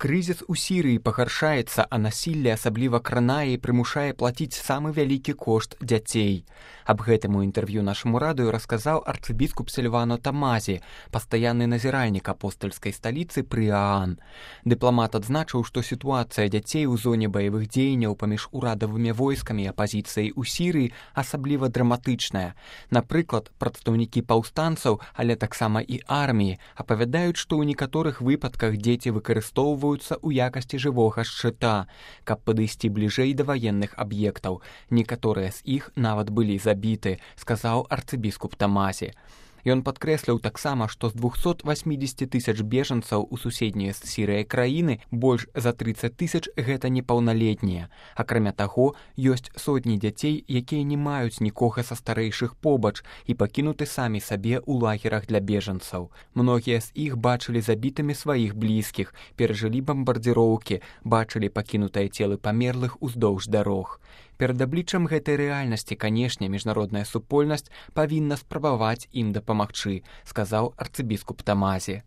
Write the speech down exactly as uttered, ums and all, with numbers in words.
Крызіс у Сірыі пагаршаецца, а насілле асабліва кранае і прымушае плаціць самы вялікі кошт дзяцей. Аб гэтым у інтэрв'ю нашаму радыё расказаў арцыбіскуп Сільвано Тамазі, пастаянны назіральнік апостальскай сталіцы пры ААН. Дыпламат адзначыў, што сітуацыя дзяцей у зоне баявых дзеянняў паміж урадавымі войскамі і апазіцыяй у Сірыі асабліва драматычная. Напрыклад, прадстаўнікі паўстанцаў, але таксама і арміі, апавядаюць, што ў некаторых выпадках дзеці выкарыстоўваюць у якасці жывога шчыта, каб падысці бліжэй да ваенных аб'ектаў. Некаторыя з іх нават былі забіты, сказаў арцыбіскуп Тамазі. Ён падкрэсліў таксама, што з двухсот васьмідзесяці тысяч бежанцаў у суседнія з Сірыяй краіны больш за трыццаць тысяч гэта непаўналетнія. Акрамя таго, ёсць сотні дзяцей, якія не маюць нікога са старэйшых побач і пакінуты самі сабе ў лагерах для бежанцаў. Многія з іх бачылі забітымі сваіх блізкіх, перажылі бамбардзіроўкі, бачылі пакінутыя целы памерлых уздоўж дарог. Перад абліччам гэтай рэальнасці, канешне, міжнародная супольнасць павінна спрабаваць ім дапамагчы, сказаў арцыбіскуп Тамазі.